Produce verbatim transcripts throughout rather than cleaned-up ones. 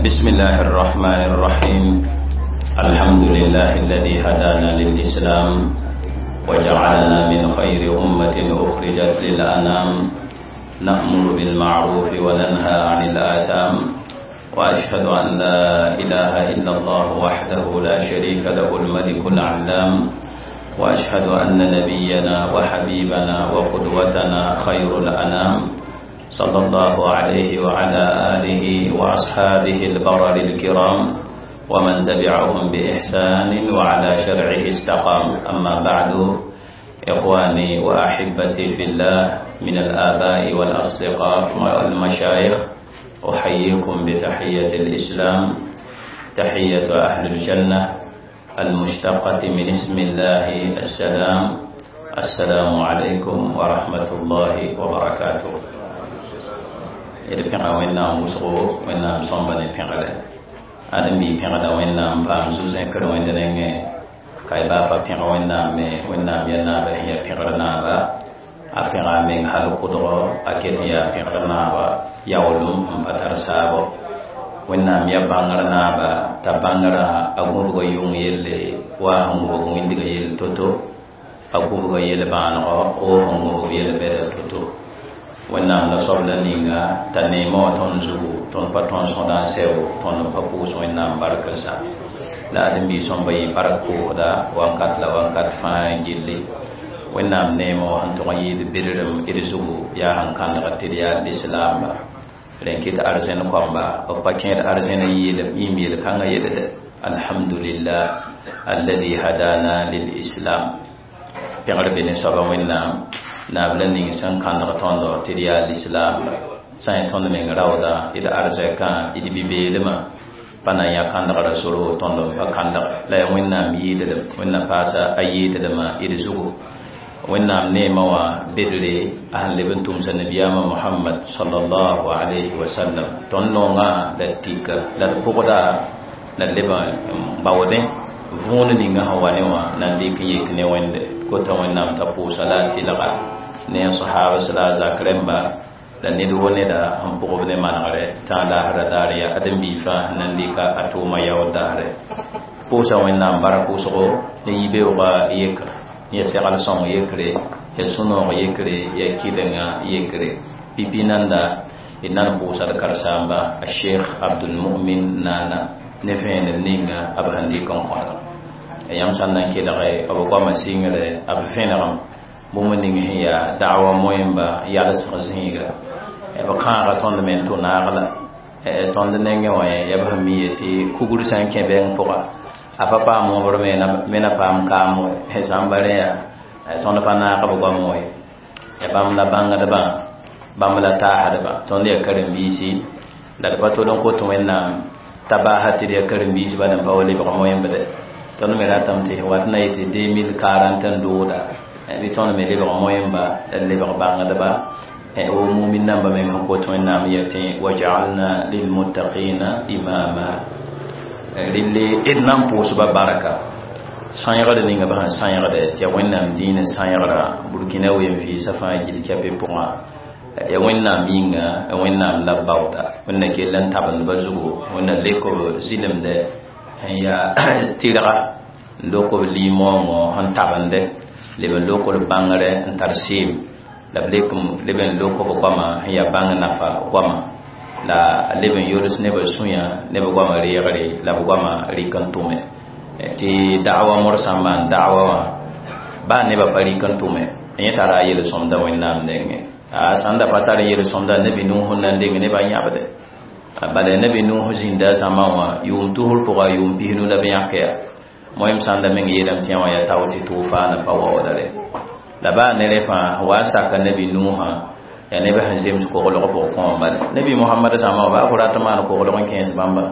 بسم الله الرحمن الرحيم الحمد لله الذي هدانا للإسلام وجعلنا من خير أمة أخرجت للأنام نأمر بالمعروف وننهى عن الآثام وأشهد أن لا إله إلا الله وحده لا شريك له الملك العلام وأشهد أن نبينا وحبيبنا وقدوتنا خير الأنام صلى الله عليه وعلى آله وأصحابه البرر الكرام ومن تبعهم بإحسان وعلى شرعه استقام. أما بعد، إخواني وأحبتي في الله من الآباء والأصدقاء والمشايخ، أحييكم بتحية الإسلام، تحية أهل الجنة المشتقة من اسم الله السلام. السلام عليكم ورحمة الله وبركاته. D pẽga Wẽnnaam wʋsgo, Wẽnnaam sõmba ne pẽgre ãdem-bi pẽgda Wẽnnaam paam zu-zẽkr Wẽnd nengẽ ka y baa pa pẽg Wẽnnaam me. Wẽnnaam yaa naaba sẽn yaa pẽgr naaba, a pẽga a meng hal kʋdgo, a ket n yaa pẽgr naaba yaoolem n pa tar saabo. Wẽnnaam yaa bãngr naaba t'a bãngrã a gũbga yʋng yelle wa a sẽn gũbg wĩndgã yell to-to, a gũbga yel-bãanegɔ wo sẽn gũbg yel-bɛda to-to. Wẽnnaam la soab la ninga t'a neemã wã tõnd zugu, tõnd pa tõnd sõda n sɛo, tõnd pa pʋʋs Wẽnnaam bark n sa la ãdem-bi sõmba yɩ bark pʋʋsda wankat la wankat fãa gilli. Wẽnnaam neemã wã sẽn tʋg n yɩɩd bɩdrem d zugu yaa sẽn kãndg tɩ d yaa lislaamba, rẽn kɩt arzẽn kõmba b pa kẽed arzẽn yĩm yel-kãngã yelde. Alhamdulillah alladhi hadana lilislam. Pẽgr be ne soaba Wẽnnaam, naab la ning sẽn kãndg tõndo tɩ d yaa lislaam. Sã n tõnd meng raooda, d arzɛkã, d bi-beelmã pa na n yã kãndgra soro, tõnd n pa kãndg la yaa Wẽnnaam yɩɩdlem. Wẽnnaam paasa a yɩɩdlmã d zugu. Wẽnnaam neemã wã bedre a sẽn leb n tʋmsa nabiyaamã Mohamad sallallahu alayhi wa sallam. Tõnd noongã la d tika la d pʋgda la d leb n baoodẽ võon ninga sẽn wa ne wã na n dɩk n yek ne Wẽnde kota. Wẽnnaam t'a pʋʋsa la a tɩlga ne a sahabas la a zak rẽmba la ned wo neda sẽn pʋgb ne manegre tã laasra daar yaa ãdem-bi fãa na n dɩka a tʋʋma yaood daare. Pʋʋsa Wẽnnaam bark wʋsgo ne yibeoogã yekr ya segl sõng yekre, ya sũ-noog yekre, ya kɩdenga yekre pipi nanda. D nan pʋʋsa d karen-saamba a Sheikh Abdulmumin Nana ne vẽenem ninga b sẽn dɩk n kõdg yãmb sã n na n kelge b goamã sɩngre b vẽnegem bũmb ning sẽn yaa da'wa moẽmba yalsg zĩiga. B kãaga tõnd me n tʋ naag la tõnd nengẽ wã yaa b sẽn mi yetɩ kugr sã n kẽ bɛng pʋga a pa paam wõbr me na paam kaam sã n ba rẽ yaa tõnd pa naag b goam wã ya bãmb la bãngdbã, bãmb la taasdba. Tõnd yaa karen-biisi la d pa tol n kot Wẽnnaam t'a baasa tɩ d yaa karen-biis bala n pa wa lebg moẽmbde. Tõnd me ratame tɩ wat na yetɩ deux mille quarante n dooda bɩ tõnd me lebg moẽmba la d lebg bãngdba wo mumin namba meng sẽn kot Wẽnnaam yetɩ waj'alna lilmuttaqina imama. Relle d na n pʋʋsba barka sãegd ninga b sẽn sãegde tɩ yaa Wẽnnaam dĩinã sãegra Burkina wen-vɩɩsã fãa gill kɛpɩ pʋgã. Ya Wẽnnaam yĩnga, ya Wẽnnaam la b baooda. Wẽnna kell n tabendba zugu, Wẽnna lek b zɩlemde sẽn yaa tɩrga n lok b lim-moongõ sẽn tabende, leb n lok b bãngre n tar seem la b lek leb n lok b goamã sẽn yaa bãng nafa goamã la leb n yols neb sũyã ne b goamã reegre la b goamã rɩk n tʋme tɩ da'wa morsã n maan da'wa wã baa nebã pa rɩk n tʋme yẽ tara a yel-sõmda Wẽnnaam nengẽ. A sãn da pa tar yel-sõmda, nabi Nuh n na n deng nebã yãbde. Bala nabi Nuh zĩnda a zãma wã yʋʋm tusr pʋga yʋʋm pisnu la b yãk yaa moẽm sãn da meng yeelame tɩ yã wã yaa tao tɩ tʋʋfaana pa waoodre la baa ne rẽ fãa wa saka nabi Nuhã yaa nebã sẽn zems koglg pʋg kõom. Bala nabi Mohamad zãma wã baa fo rat n maan koglg n kẽes bãmba,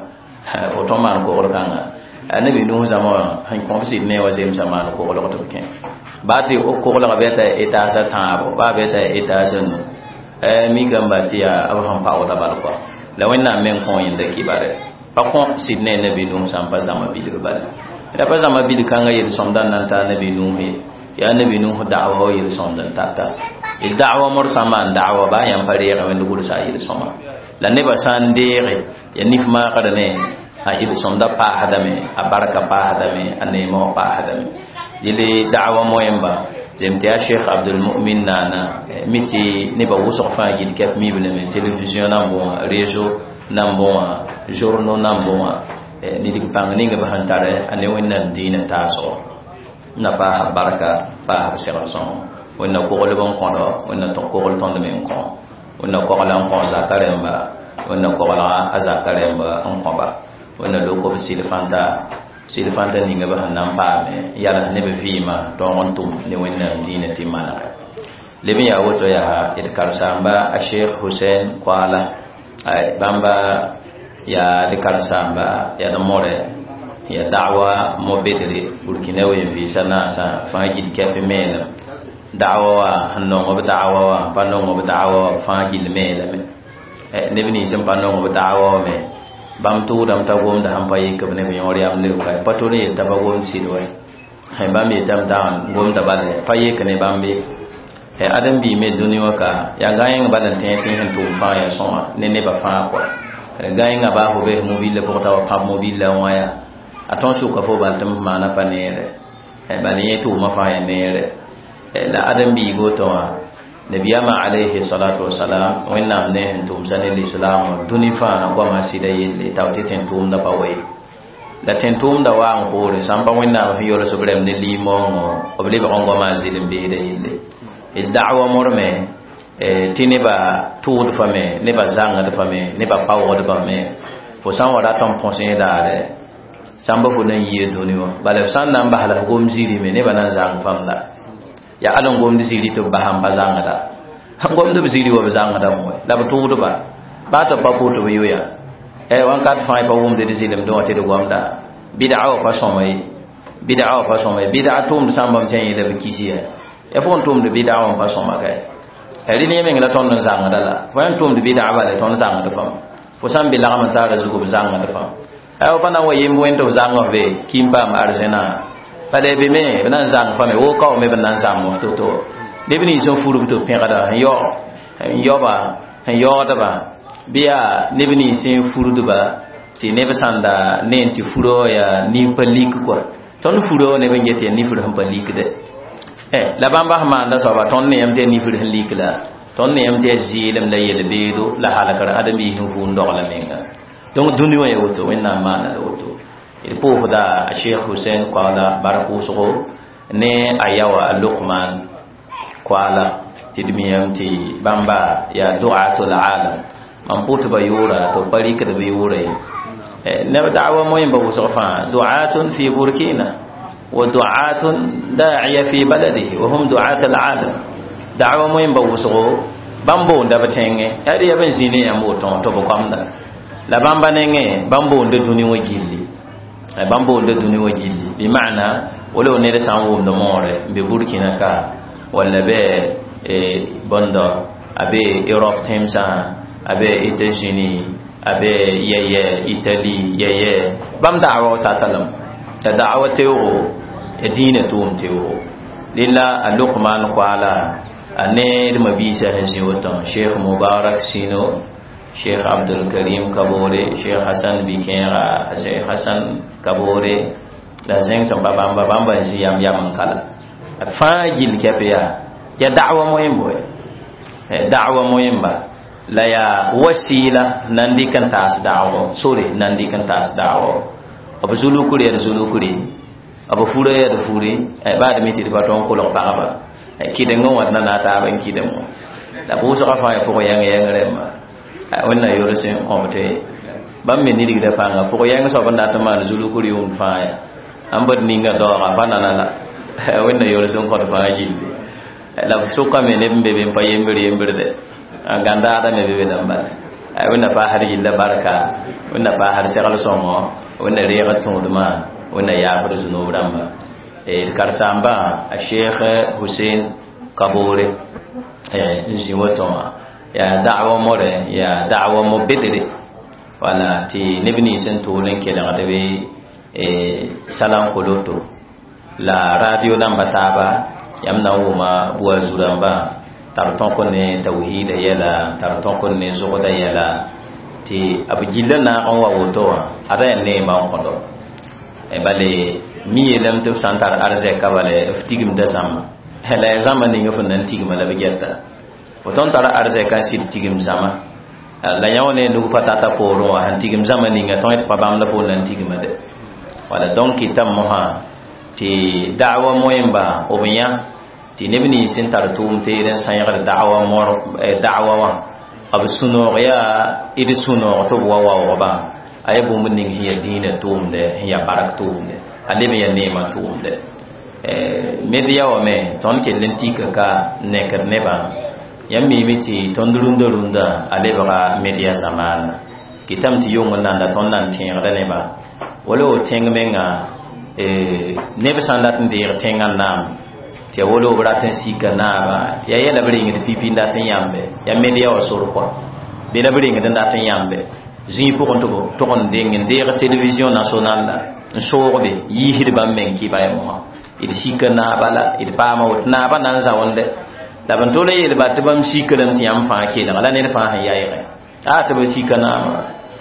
fo tõn maan kogl kãnga. Nabi Nuh zãma wã sẽn kõ b sɩd ne wã zemsa maan koglg tɩ b kẽ baa tɩ koglga bɩ t'a étage tãabo, baa bɩ t'a étage nu mikame ba tɩ yaa b sẽn paoodã bal kɔa la Wẽnnaam meng kõ yẽnda kibare pa kõ sɩd ne nabi Nuh sã n pa zãma bilg bala la pa zãma bilg kãngã yel-sõmda n na n taa nabi Nuh ye. Yaa nabi Nuh da'wa wa yel-sõmd n tata d da'wa morsã maan da'wa baa yãmb pa reegẽ Wẽnd gʋlsa a yel-sõma. La nebã sã n deege ya nif maagr ne a d sõmda paasdame, a barka paasdame, a neemã wã paasdame. Yele da'wa moẽmba zem tɩ yaa Cheikh Abdulmumin naana mi tɩ nebã wʋsg fãa gil kɛp miblame télévision nan bõwã, réseau nan bõwã, journaux nan bõwã, nidg pãng ning b sẽn tare a ne Wẽnnaam diinã taasgo na paasa barka, paas b segl sõngo. Wẽnna koglb n kõdo, Wẽnna kogl tõnd me n kõ, Wẽnna kogla n kõ zaka rẽmba, Wẽnna koglga a zaka rẽmba n kõba, Wẽnna lok b sɩl-fãnta sɩl-fãnta ninga b sẽn na n paame yals ne b vɩɩmã tõog n tʋm ne Wẽnnaam diinã tɩ manege leb n yaa woto. Yaa d karen-saamba a Cheikh Hussein Koala, bãmba yaa d karen-saamba, yaa d more, ya da'wa mo bedre Burkina wen vɩɩsa naasã fãa gil kɛp meelem da'wa wa sẽn nong b da'wa wa pa nong b da'wa wa fãa gil meelame. Neb nins n pa nong b da'wa wa me bãmb tʋʋdame t'a gomda sẽn pa yik b neb yõor yam leoka pa tol n yel t'a pa gomd sɩd wa, bãmb yetame t'a gomda bala pa yek ne bãmb ye. Ãdem-biig me dũni wã ka yaa gã-yẽng bal n tẽ tɩ sẽn tʋʋm fãa yaa sõma ne nebã fãa kɔa. Gã-yẽngã baa fo bes mobile pʋgẽ t'a wa pãb mobile wã yaa a tõnd sʋka fo bal tɩ m maana pa neere, bal yẽ tʋʋmã fãa yaa neere. La ãdem-biig woto wã, nabiyama alayhi salatu wasalam, Wẽnnaam ne sẽn tʋmsa ne lislaam wã dũni fãa goamã sɩda yelle tao tɩ tẽn-tʋʋmdã pa wa ye la tẽn-tʋʋmdã wa n poore sã n pa Wẽnnaam sẽn yols b rɛm ne liimoongõ b lebg n goamã zɩl n beesda yelle. D da'wa morme tɩ nebã tʋʋd fa me, nebã zãngd fa me, nebã paoogd fa me. Fo sã n wa rat n põs yẽ daare sãmba fo na n yia dũni wã bala, f sã n na n bas la f gom zirime nebã na n zãng fãmb la yaa al n gomd ziri tɩ b bas n pa zãngda sẽn gomd b ziri wa b zãngdame wɛ la b tʋʋdba baa tɩ b pa pʋʋt b yoya wãnkat fãa pa wʋmd d zɩlemdẽ wã tɩ d gomda bɩd'a wã pa sõma ye, bɩd'a wã pa sõma ye. Bɩd'a tʋʋmd sãmbame tɩ yẽla b kis ya ya fo n tʋmd bɩd'a wã n pa sõma ka rɩl yẽ meng la tõnd n zãngda la fo yãn tʋmd bɩd'a bala tõnd zãngd fãm fo sã n be lagm n taara zugu b zãngd fãm fo pa na n wa yemb wẽnd tɩ f zãng f be ki n paam arzẽnã bala be me b na n zãng fa me wo kao me b na n zãng f to-to neb nins n furb tɩ b pẽgda n yao n yaoba n yaoodba bɩ yaa neb nins n furdba tɩ neb sãnda ne n tɩ furo yaa nin pa lik kɔa tõnd furo neb n get yaa nifr sẽn pa likde. La bãmba sẽn maanda soaba tõnd ne yãmb tɩ yaa nifr sẽn lik la tõnd ne yãmb tɩ yaa zɩɩlem la yel-beedo la halkr ãdem-biis sẽn vʋʋn dogla menga. Donc dũni wã yaa woto, Wẽnnaam maana la woto. D pʋʋsda a Cheikh Hussein Koala bark wʋsgo ne a yaoa a Lukman Koala tɩ d miyame tɩ bãmba yaa du'atul alam. Mam pʋʋs ba yʋʋra tɩ b pa rɩkd b yʋʋra ye neb da'wa moẽmba wʋsg fãa du'atun fi Burkina wa du'atun da'iya fi baladihi wa hum du'at al-alam. Da'wa moẽmba wʋsgo bãmb boonda b tẽngẽ yaa d yaa b n zĩ ne yãmb woto tɩ b goamda la bãmba nengẽ bãmb boonda dũni wã gilli, bãmb boonda dũni wã gilli. Bɩ maana wala ned sã n wʋmd moore n be Burkina ka walla bɩ bõndo a be Europe tẽmsã, a be États-Unis, a be yɛyɛ Italie yɛyɛ, bãmb da'wa tatalem ya da'wa teoogo ya diinã tʋʋm teoogo. Rẽla a Lukman Koala a ne d mabiisã sẽn zĩ woto, Cheikh Mubarak Sino, Cheikh Abdul Karim Kabore, Cheikh Hassan Bikẽega, Cheikh Hassan Kabore la zẽng sẽn pa bãmba bãmba n zĩ yam yam n kala fãa gill kɛp yaa ya da'wa moẽmbo da'wa moẽmba la yaa wasila na n dɩk n taas da'wgo sore na n dɩk n taas da'wgo b zulukr yaa d zulukre, b fura yaa d fure baa d mi tɩ d pa tõog n kolg pagba kɩdengẽ wã d na na taab n kɩdem wã la pʋʋsgã fãa ya pʋg yãng yãng rẽmba. Wẽnna yols n kõb tɩ bãmb me nidgda pãnga pʋg yãng soab n dat n maan zulukr yʋʋmd fãa ya ãn bd ninga daooga pa nana la Wẽnna yols n kõt fãa gilli la b sʋkame neb n be be n pa yembr yembrde gãndaada me be be dãmb bala. Wẽnna paasd gilla barka, Wẽnna paasd segl sõngo, Wẽnna reeg tõodmã, Wẽnna yaafd zunub rãmba. D karen-saambã a Cheikh Hussein Kabore n zĩ woto wã yaa da'wa more yaa da'wa mo bedre wala tɩ neb nins n tʋʋl n kelgd be salankoloto la radio namba taaba yãmb na n wʋma bua zu-rãmbã tar tõk ne tawhiida yɛla, tar tõk ne zogda yɛla. Tɩ b gilla naag n wa woto wã ada yaa neemã n kõdo bale mi yeelame tɩ f sã n tar arzɛka bale f tigimda zãmba la yaa zãmba ning f n na n tigma la b gɛta fo tõnd tara arzɛka n sɩd tigim zãma la yã wã ne nug pa tata poorẽ wã sẽn tigim zãma ninga tõe tɩ pa bãmb la fo na n tigma de wala donc kɩtame mosã tɩ da'wa moẽmba b yã tɩ neb nins sẽn tar tʋʋm teed n sãegd da'wa mor da'wa wã b sũ-noog yaa d sũ-noog tɩ b wa waoogba a yaa bũmb ning sẽn yaa dĩinã tʋʋmdɛ sẽn yaa bark tʋʋmdɛ a leb n yaa neemã tʋʋmdɛ media wã me tõnd kell n tika ka nekd nebã yãmb miime tɩ tõnd rũndã rũndã a lebga media zamaana kɩtame tɩ yong n nanda tõnd nan tẽegda nebã wala wo tẽng menga neb sã n dat n deeg tẽngã naam tɩ ya wolo b rat n sika naaba ya yɛla b rengd pipi n dat n yãmbe ya media wã sor kɔa bɩ la b rengd n dat n yãmbe zĩig pʋgẽ tɩ b tʋg n deng n deeg télévision nationale la n soogbe yiisd bãmb meng kɩ ba mosã d sika naaba la d paama woto naaba na n zaoonde la b n tol n yeelba tɩ bãmb sikrame tɩ yãmb fãa kelga la ned fãa sẽn yaɩgẽ a tɩ b sika naama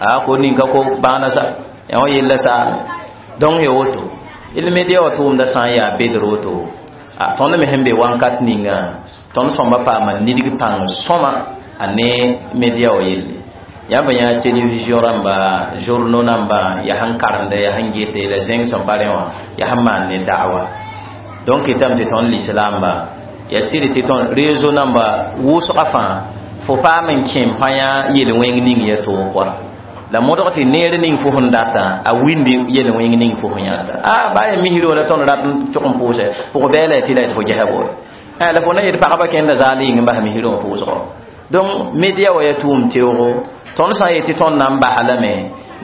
a ko ninka ko bãana sa yã wã yella saame donc ya woto d media wã tʋʋmda sã n yaa bedr woto a tõnd me sẽn be wãnkat ninga tõnd sõmba paama nidg pãng sõma a ne media wã yelle yãmb yã télévision rãmba journaux namba yaa sẽn karemde yaa sẽn gete la zẽng sẽn pa rẽ wã yaa sẽn maan ne da'wa donc kɩtame tɩ tõnd lislaamba yaa sɩd tɩ tõnd réseau namba wʋsga fãa fo paam n kẽem fã yã yel-wẽng ning ya toog kɔa la modg tɩ neer ning fo sẽn data a windi yel-wẽng ning fo sẽn yãta a baa ya misr wala tõnd rat n tʋg n pʋʋsɛ pʋg bɛɛla tɩ la fo gɛsa bo la fo na yet pagba kẽnda zaal yĩng n bas misr wã pʋʋsgɔ donc media wa ya tʋʋm teoogo tõnd sã n yet tɩ tõnd na n basa lame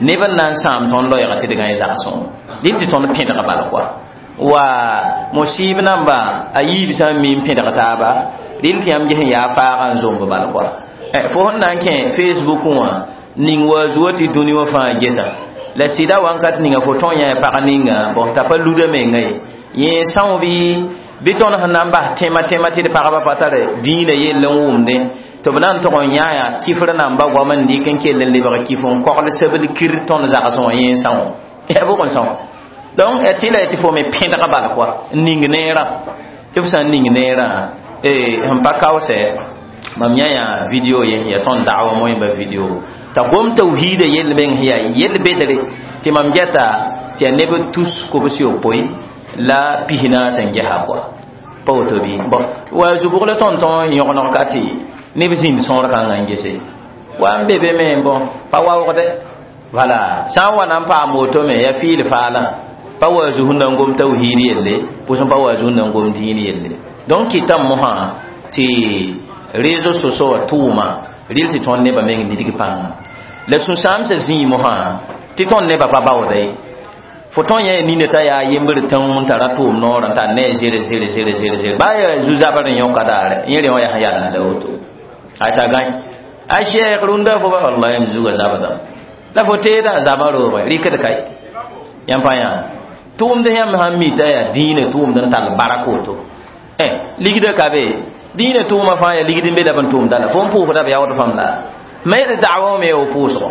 neb n na n sãam tõnd loɛɛga tɩ d gãe zagsẽ dɩl tɩ tõnd pẽdg bal kɔa wa musib namba a yiib sã n mi n pẽdg taaba rɩl tɩ yãmb ges n yaa faaga n zomb bal kɔa fo sẽn na n kẽ facebook wã ning wa zuwa tɩ dũni wã fãa gesa la sɩda wãnkat ninga fo tõe yã pag ninga bõ t'a pa luda menga ye yẽ são bɩ bɩ tõnd sẽn na n bas tẽma tẽma tɩ d pagba pa tare dĩinã yell n wʋmdẽ tɩ b na n tʋg n yã kifr namba goam n dɩk n kell n lebg kif n kogl sebl kir tõnd zagsẽ wã yẽ são ya bʋg n são donc ya tɩ la tɩ fo me pẽdg bal kɔa n ning neerã tɩ f sã n ning neerã sẽn pa kaoosɛ mam yã yã video ye ya tõnd da'wa moẽmba video t'a gom tawhiida yell meng sẽn yaa yell bedre tɩ mam gɛta tɩ yaa neb tus kobs yopoe la pis naas n gɛsa kɔa pa woto bɩ bɔn wa zubg la tõnd tõn yõgeneg ka tɩ neb zĩnd sõor kãngã n gese wa n be be me bõn pa waoogde wala sã n wa na n paam woto me yaa fiil faalã pa wa zu sẽn na n gom tawhiid yelle pʋsẽ pa wa zu sẽn na n gom dĩin yelle donc kɩtame mosã tɩ réseau sociaux wã tʋʋma rɩl tɩ tõnd nebã meng nidg pãnga la sũ-sãamsã zĩig mosã tɩ tõnd nebã pa baooda ye fo tõn yã nina t'a yaa yembr tãng n tara tʋʋm noorã t'a ne zere zere zere zere zere baa yaa zu-zabr n yõka daare yẽ rẽ wã yaa sẽn yalend la woto a t'a gãe a sheekh rũndã fo ba wallahi m zuga zabdã la fo teedã zabã roogẽ rɩkd kae yãmb pa yã tʋʋmd yãmb sãn mi t'a yaa dĩinã tʋʋmd n tall barak woto ligdã ka be dĩinã tʋʋmã fãa yaa ligd n be la b n tʋʋmda la fo n pʋʋsda b yaood fãmb la me d da'wa me yo pʋʋsgɔ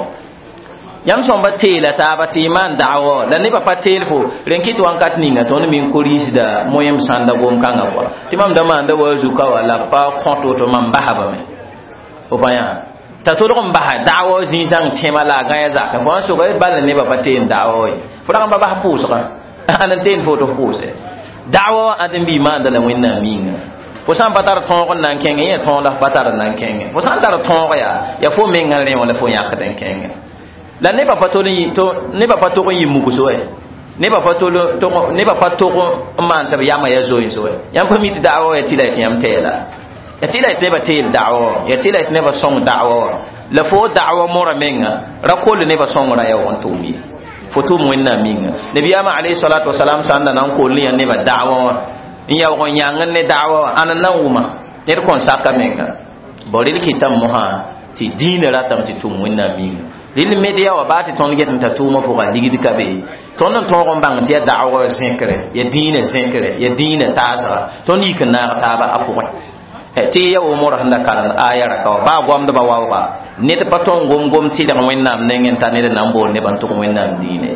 yãmb sõmba teela taaba tɩ y maan da'wa la nebã pa teel fo rẽn kɩt wãnkat ninga tõnd min ko-rĩisda moẽm sãnda gom-kãngã kɔa tɩ mam da maanda wa zuka wa la pa kõt woto mam basbame fo pa yã t'a tolg n basa da'wa zĩ-sãng tẽma la a gãe zakẽ fo n soga bal nebã pa teen da'wa ye fo rag n pa bas pʋʋsgã ãn n teen fo tɩ f pʋʋse da'wa ãd n bɩ maanda la wẽnnaam yĩnga fo sã n pa tar tõog n na n kẽngẽ yẽ tõog la f pa tar n na n kẽngẽ fo sã n tar tõog yaa yaa fo mengã rẽ wã la fo yãkd n kẽngẽ la nebã pa tol nebã pa tog n yɩ mugs wɛ nebã pa tol nebã pa tog n maan tɩ b yamã yaa zoeens wɛ yãmb pa mi tɩ da'wa wa yaa tɩ la tɩ yãmb tɛɛla ya tɩ la tɩ nebã teel da'wa wã ya tɩ la tɩ nebã sõng da'wa wã la fo da'wa mora menga ra kol nebã sõngrã yaa wa n tʋʋm ye fo tʋʋm wẽnnaam yĩnga nabiyaamã alayhi salatu wasalam sã n da na n kol ne yã nebã da'wa wã n yaoog n yãng ne da'wa wã ãn n na n wʋma ned kõn saka menga bõ rel kɩtame mosã tɩ dĩinã ratame tɩ tʋʋm wẽnnaam yĩnga rel media wã baa tɩ tõnd get n ta tʋʋmã pʋga ligd ka be tõnd n tõog n bãng tɩ yaa da'wã zẽkre yaa dĩinã zẽkre yaa dĩinã taasga tõnd yik n naag taaba a pʋgẽ Tɩ ya wo mora sẽn da karend aya raka wã baa goamdbã waooga ned pa tõe n gom gom tɩlg Wẽnnaam nengẽ t'a ned na n bool nebã n tʋg Wẽnnaam diine.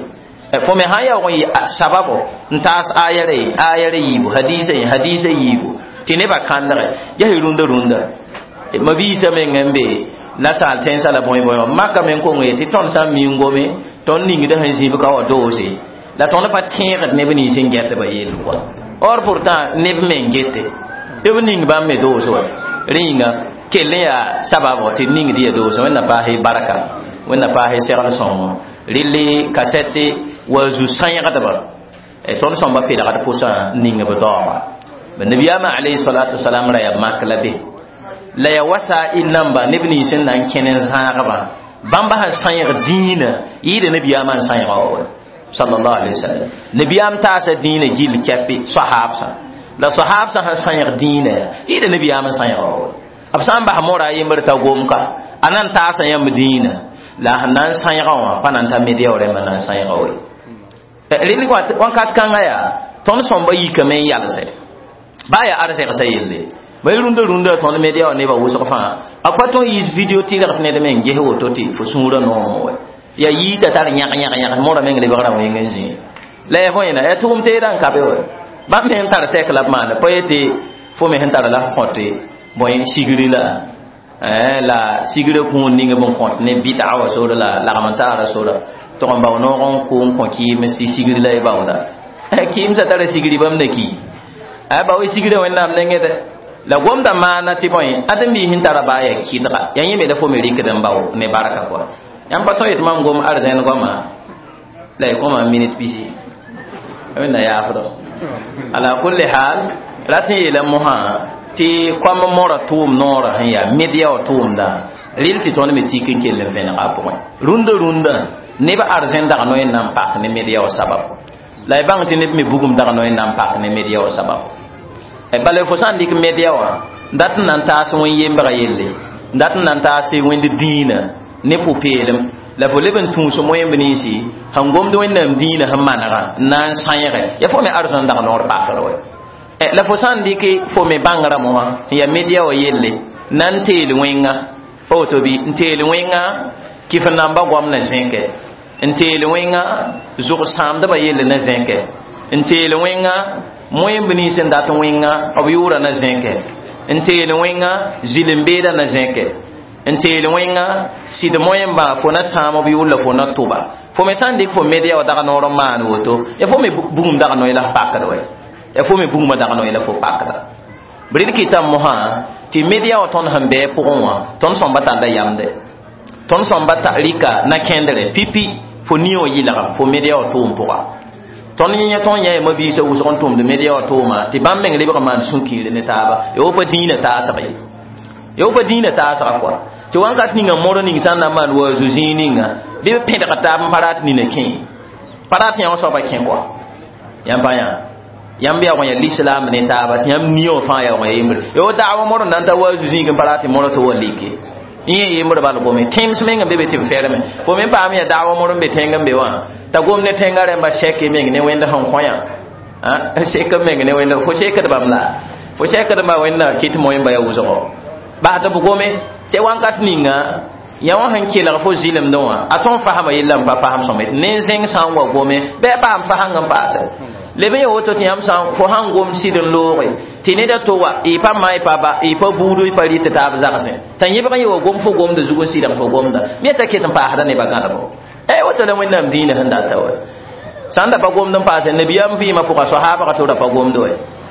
Fo me sã n yaoog n yɩ sababo n taas aya re aya re yiibu hadisa ye hadisa yiibu tɩ nebã kãndge yaa rũndã rũndã mabiisã meng n be la saal tẽnsã la bõe bõe wã maka me n kong ye tɩ tõnd sã n mi n gome tõnd ningdã sẽn zĩb ka wa doose la tõnd pa tẽegd neb nins n gɛtba yell kɔa. Or pourtant neb me n gete tɩ b ning bãmb me doos wa rẽ yĩnga kell n yaa sababo tɩ d ningd ya doose. Wẽnna paas barka, Wẽnna paas segl sõngo rɩl kasɛte wa zu sãyẽgdba tõnd sõmba pedgd pʋsã ning b daooga. Nabiyaamã alayhi salatu wasalam ra yaa mak la be la ya wasa il namba neb nins n na n kẽn n zãagba bãmba sẽn sãyẽg dĩinã yɩɩda nabiyaamã n sãyẽga wa sallallahu alayhi wa sallam. Nabiyaam taasa dĩinã gill kɛpɩ sahaabsã la sahaabsã sẽn sãyẽg dĩinã yɩɩda nabiyaam n sãyẽga wa b sã n bas mora a yembr t'a gomka a na n taasa yãmb dĩinã la sẽn na n sãyẽga wã pa na n ta media rẽmbã na n sãyẽga we. Rel wãnkat kãngã yaa tõnd sõmba yikame n yalse baa yaa arzɛgsã yelle ba rũndã rũndã tõnd media wã nebã wʋsg fãa a pa tõe n yiis video tɩlg tɩ ned meng ges woto tɩ fo sũurã noom wa ya yiita tar yãg yãg yãg mora meng lebgrã wẽng n zĩ la ya bõe na ya tʋʋm teedã n ka be wa bãmb meng tar sɛk la b maana pa yetɩ fo me sẽn tara la f kõte bõe sigri la la sigrã kũun ning b n kõt ne bɩdga wa sora la lagm n taara sora tʋg n bao noog n kʋ n kõ kɩɩms tɩ sigri la y baooda kɩɩmsã tara sigri bãmb na ki a bao sigrã Wẽnnaam nengẽ dɛ la gomda maana tɩ bõe ãdem-biis sẽn tara baa yaa kɩdga yaa yẽ me la fo me rɩkd n bao ne barka kɔa. Yãmb pa tõe yetɩ mam gom arzẽn goama la y kõma minit pisi Wẽnna yaafdɔ. Ala kulli hal rat n yeela mosã tɩ koam mora tʋʋm noorã sẽn yaa media wã tʋʋmdã rɩl tɩ tõnd me tik n kell n vẽnega a pʋgẽ rũndã rũndã neb arzẽn dag noe n na n pak ne media wã sabab la y bãng tɩ neb me bugum dag noe n na n pak ne media wã sabab. Bala fo sã n dɩk media wã dat n na n taas wẽn-yembga yelle dat n na n taas wẽnd dĩinã ne pʋ-peelem la fo leb n tũus moẽmb ninsi sẽn gomd Wẽnnaam dĩinã sẽn manegã n na n sãyẽge ya fo me arzẽn dag noor pakr wɛ. La fo sã n dɩk fo me bãngrã mosã n yaa media wã yelle na n teel wẽnga pa woto bɩ n teel wẽnga kɩf n namba goam na zẽkɛ n teel wẽnga zʋg sãamdbã yelle na zẽkɛ n teel wẽnga moẽmb nins n dat wẽnga b yʋʋra na zẽkɛ n teel wẽnga zɩl-n-beedã na zẽkɛ n teel wẽnga sɩd moẽmbã fo na sãam b yʋʋr la fo na tʋba fo me sã n dɩk fo media wã dag noor n maan woto ya fo me bugum dag noe la f pakd wɛ ya fo me bugumã dag noe la fo pakda b rɩd kɩtame mosã tɩ media wã tõnd sẽn bɩ pʋgẽ wã tõnd sõmba talla yamde tõnd sõmba rɩka na-kẽndre pipi fo nia wã yɩlgem fo media wã tʋʋm pʋga tõnd yẽ tõnd yã mabiisã wʋsg n tʋmd media wã tʋʋma tɩ bãmb meng lebg n maan sũ-kiire ne taaba ya wo pa dĩinã taasg ye ya wo pa dĩinã taasga kɔa tɩ wãnkat ninga mor ning sã n na n maan waazu zĩig ninga bɩ b pẽdg taab n pa rat nina kẽ pa rat yã wã soaba kẽ kɔa yãmb pa yã yãmb yaoog n yaa lislaam ne taaba tɩ yãmb nia wã fãa yaoog n yaa yembre ya wo daawa mor n na n ta waazu zĩig n pa rat tɩ mora tɩ wa like yẽ yembre bal gome tẽms meng n be be tɩ b ferme fo me paam yaa daawa mor n be tẽng n be wã t'a gom ne tẽngã rẽmba sɛke meng ne wẽnd sẽn kõ yã sek meng ne wẽnd fo sekd bãmb la fo sekdbã wẽnna kɩt moẽmba yaa wʋsgo bas tɩ b gome tɩ wãnkat ninga yã wã sẽn kelg fo zɩlemdẽ wã a tõn fasma yella n pa fasem sõma tɩ nen-zẽng sã n wa gome bɩ a paam fasãng n paase leb n ya woto tɩ yãmb sã fo sãn gom sɩd n looge tɩ ned a to wa y pa ma y pa ba y pa buudu y pa rɩt taab zagsẽ t'a yẽbg n ye wa gom fo gomda zug n sɩdg fo gomda me t'a ket n paasda nebã gãdbo e woto la Wẽnnaam dĩinã sẽn data wa sã n da pa gomd n paase nabiyaam vɩɩmã pʋga sahaabga to ra pa gomd wa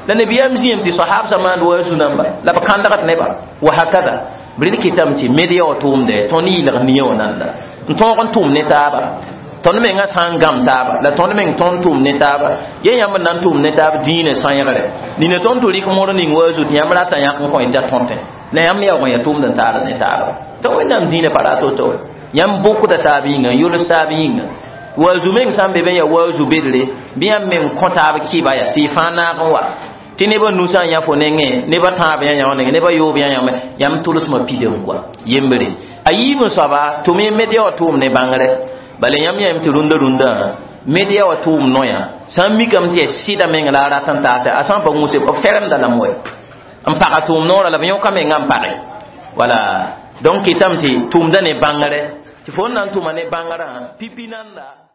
la nabiyaam zĩem tɩ sahaabsã maand wa zu-namba la b kãndgd nebã wa hakada b rɩd kɩtame tɩ media wã tʋʋmdɛ tõnd yɩlg nia wã nanda n tõog n tʋʋm ne taaba tõnd mengã sã n gãm taaba la tõnd meng tõnd tʋʋm ne taaba ye yãmb n na n tʋʋm ne taab dĩinã sãyẽgre nina tõnd tɩ rɩk mor ning wa zu tɩ yãmb rata yãk n kõ t'a tõtẽ la yãmb yaoog n yaa tʋʋmd n taad ne taaba tɩ Wẽnnaam dĩinã pa rat woto yãmb bʋkda taab yĩnga n yols taab yĩnga waazu meng sã n be be n yaa waazu bedre bɩ yãmb meng kõ taab kɩba yaa tɩ y fãa naag n wa tɩ nebã nusã n yã fo nengẽ nebã tãab yã yã wã nengẽ nebã yoob yã yãme yãmb tʋlsmã pidem kɔa yembre a yiib n soaba tʋm y media wã tʋʋm ne bãngre bala yãmb yãm tɩ rũndã rũndã media wã tʋʋm noyã sã n mikame tɩ yaa sɩda meng la a rat n taase a sã n pa gũse b feremda lame wɛ N paga tʋʋm noorã la b yõka mengã n page. Wala donc kɩtame tɩ tʋʋmda ne bãngre, tɩ fo n na n tʋma ne bãngrã pipi nanda.